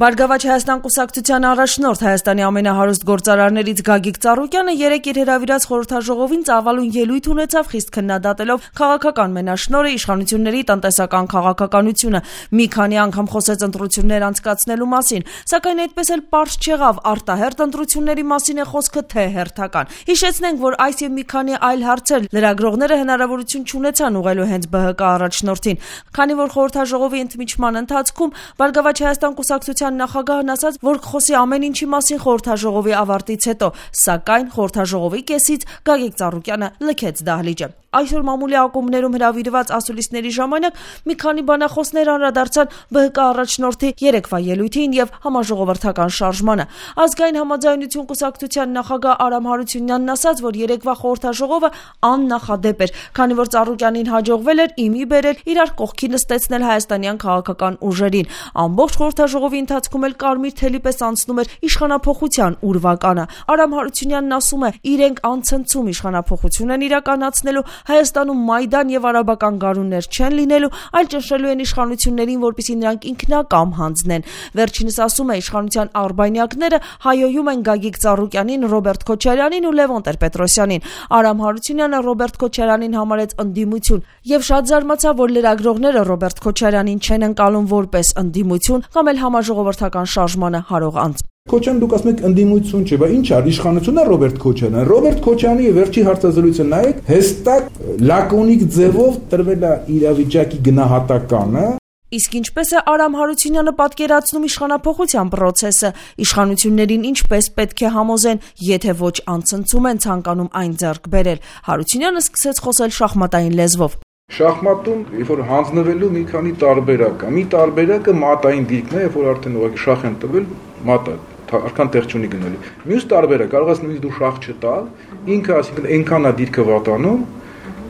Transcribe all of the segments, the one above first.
Բարգավաճ Հայաստան կուսակցության առաջնորդ Հայաստանի ամենահարուստ գործարարներից Գագիկ Ծառուկյանը երեկ իր հրավիրած խորհրդաժողովին ծավալուն ելույթ ունեցավ, խիստ քննադատելով քաղաքական մենաշնորհը, իշխանությունների տնտեսական քաղաքականությունը, մի քանի անգամ խոսեց ընտրություններ անցկացնելու մասին, սակայն այդպես էլ պարզ չեղավ արտահերթ ընտրությունների մասին է խոսքը, թե հերթական։ Հիշեցնենք, որ այս եւ մի քանի այլ հարցեր լրագրողները հնարավորություն չունեցան ուղղելու հենց ԲՀԿ առաջնորդին, քանի որ խորհրդաժողովի ընդմիջման ընթացքում Բարգավաճ Հայաստան կուսակցության նախագահն ասաց, որ խոսի ամեն ինչի մասին խորհրդաժողովի ավարտից հետո, սակայն խորհրդաժողովի կեսից Գագիկ Ծառուկյանը լքեց դահլիճը։ Այսօր մամուլի ակումբներում հրավիրված ասուլիսների ժամանակ մի քանի բանախոսներ անդրադարձան ԲՀԿ առաջնորդի երեկվա ելույթին եւ համաժողովրդական շարժմանը։ Ազգային համաձայնություն կուսակցության նախագահ Արամ Հարությունյանն ասաց, որ երեկվա խորհրդաժողովը աննախադեպ էր, քանի որ Ծառուկյանին հաջողվել էր իմի բերել իրար կողքի նստեցնել հայաստանյան քաղաքական ուժերին։ Ամբողջ խորհրդաժողովի ընթացքում էլ կարմիր թելի պես անցնում էր իշխանափոխության ուրվականը։ Արամ Հարությունյանն ասում է, իրենք անցնցում իշխանափոխություն են իրականացնելու, Հայաստանում մայդան եւ արաբական գարուններ չեն լինելու, այլ ճնշելու են իշխանություններին, որպեսզի նրանք ինքնակամ հանձնեն։ Վերջինս ասում է, իշխանության արբանյակները հայոյում են Գագիկ Ծառուկյանին, Ռոբերտ Քոչարյանին ու Լևոն Տեր-Պետրոսյանին։ Արամ Հարությունյանը Ռոբերտ Քոչարյանին համարեց ընդդիմություն եւ շատ զարմացավ, որ լրագրողները Ռոբերտ Քոչարյանին չեն ընկալում որպես ընդդիմություն կամ էլ համաժողովրդական շարժմանը հարող անձ։ Քոչարյան դուք ասում եք ընդդիմություն չէ, բայց ինչ է, իշխանությունն է Ռոբերտ Քոչարյանը։ Ռոբերտ Քոչարյանի վերջի հարցազրույցը նայեք, հստակ լակոնիկ ձևով տրվել է իրավիճակի գնահատականը։ Իսկ ինչպես է Արամ Հարությունյանը պատկերացնում իշխանափոխության process-ը, իշխանություններին ինչպես պետք է համոզեն, եթե ոչ անցնցում են ցանկանում այն ձեռք բերել։ Հարությունյանը սկսեց խոսել շախմատային լեզվով։ Շախմատում, երբ որ հանձնվելու մի քանի տարբերակ կա։ Մի տարբերակը մատային դիրքն է, երբ որ արդեն ուղղակի շախ են տվել, մատը արքան տեղ չունի գնալու։ Մյուս տարբերակ կարող ես նույնիսկ դու շախ չտալ, ինքը ասիկան այնքան է դիրքը վատանում,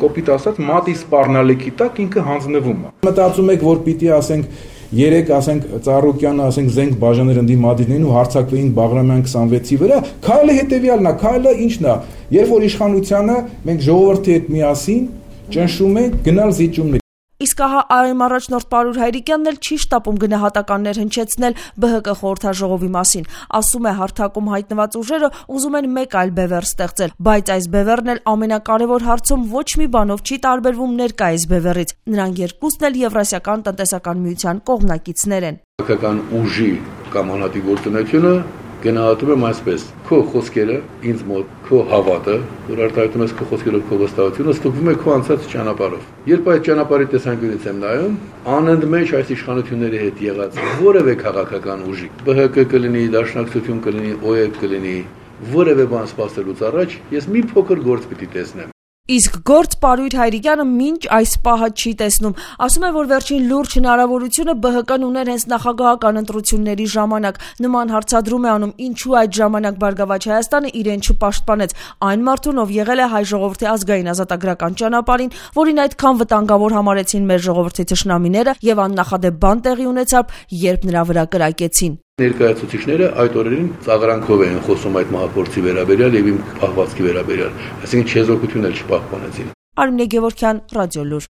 կոպիտ ասած մատի սպառնալիքի տակ ինքը հանձնվում է։ Մտածում եք, որ պիտի ասենք երեք ասենք Ծառուկյանը ասենք զենք բաժաներ ընդդիմադիրներին ու հարցակվեին Բաղրամյան 26-ի վրա, քայլը հետեւյալն է, քայլը ինչն է, երբ որ իշխանությանը մենք ժողովրդի հետ միասին ճնշում ենք գնալ զիջումներ։ Իսկ ահա այմ առաջնորդ Պարուր Հայրիկյանն էլ չի շտապում գնահատականներ հնչեցնել ԲՀԿ խորհրդաժողովի մասին։ Ասում է, հարթակում հայտնված ուժերը ուզում են մեկ այլ բևեռ ստեղծել, բայց այս բևեռն էլ ամենակարևոր հարցում ոչ մի բանով չի տարբերվում ներկայիս բևեռից։ Նրանք երկուսն էլ Եվրասիական տնտեսական միության կողմնակիցներ են։ Քաղաքական ուժի կամ անհատի գործունեությունը գնահատում եմ այսպես. քո խոսքերը ինձ մոտ, քո հավատը, որ արտահայտում ես քո խոսքերով քո վստահությունը, ստուգվում է քո անցած ճանապարհով։ Երբ այդ ճանապարհի տեսանկյունից եմ նայում, անընդմեջ այս իշխանությունների հետ եղած որևէ քաղաքական ուժի, ԲՀԿ կլինի, Դաշնակցություն կլինի, ՕԵԿ կլինի, որևէ բան սպասելուց առաջ ես մի փոքր գործ պիտի տեսնեմ։ Իսկ գործ Պարույր Հայրիկյանը մինչ այս պահը չի տեսնում։ Ասում է, որ վերջին լուրջ հնարավորությունը ԲՀԿ-ն ուներ հենց նախագահական ընտրությունների ժամանակ։ Նման հարցադրում է անում, ինչու այդ ժամանակ Բարգավաճ Հայաստանը իրեն չպաշտպանեց այն մարդուն, ով եղել է հայ ժողովրդի ազգային ազատագրական ճանապարհին, որին այդքան վտանգավոր համարեցին մեր ժողովրդի թշնամիները եւ աննախադեպ բան տեղի ունեցավ, երբ նրա վրա կրակեցին։ Ներկայացուցիչները այդ օրերին ծաղրանքով էին խոսում այդ մահափորձի վերաբերյալ եւ իմ պահվածքի վերաբերյալ, այսինքն չեզոքություն էլ չպահպանեցին։ Արմինե Գևորգյան, Ռադիոլուր։